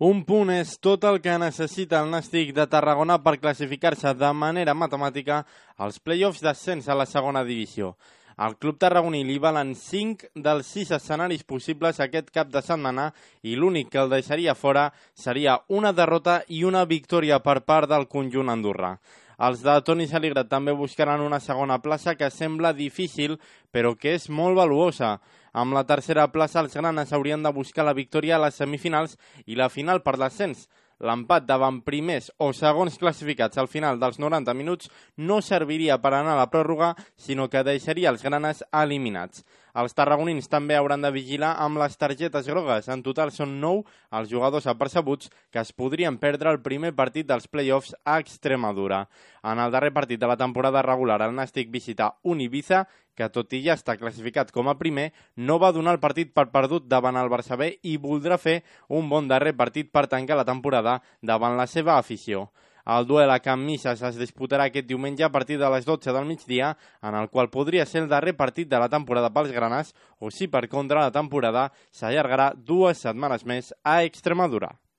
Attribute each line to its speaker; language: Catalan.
Speaker 1: Un punt és tot el que necessita el Nàstic de Tarragona per classificar-se de manera matemàtica als play-offs d'ascens a la segona divisió. Al club tarragoní li valen 5 dels 6 escenaris possibles aquest cap de setmana i l'únic que el deixaria fora seria una derrota i una victòria per part del conjunt andorrà. Els de Toni Saligre també buscaran una segona plaça que sembla difícil, però que és molt valuosa. Amb la tercera plaça, els granes haurien de buscar la victòria a les semifinals i la final per l'ascens. L'empat davant primers o segons classificats al final dels 90 minuts no serviria per anar a la pròrroga, sinó que deixaria els granes eliminats. Els tarragonins també hauran de vigilar amb les targetes grogues. En total són 9 els jugadors apercebuts que es podrien perdre el primer partit dels play-offs a Extremadura. En el darrer partit de la temporada regular, el Nàstic visita un Ibiza que, tot i ja està classificat com a primer, no va donar el partit per perdut davant el Barça B i voldrà fer un bon darrer partit per tancar la temporada davant la seva afició. El duel a Can Misses es disputarà aquest diumenge a partir de les 12 del migdia, en el qual podria ser el darrer partit de la temporada pels granes, o si per contra la temporada s'allargarà 2 setmanes més a Extremadura.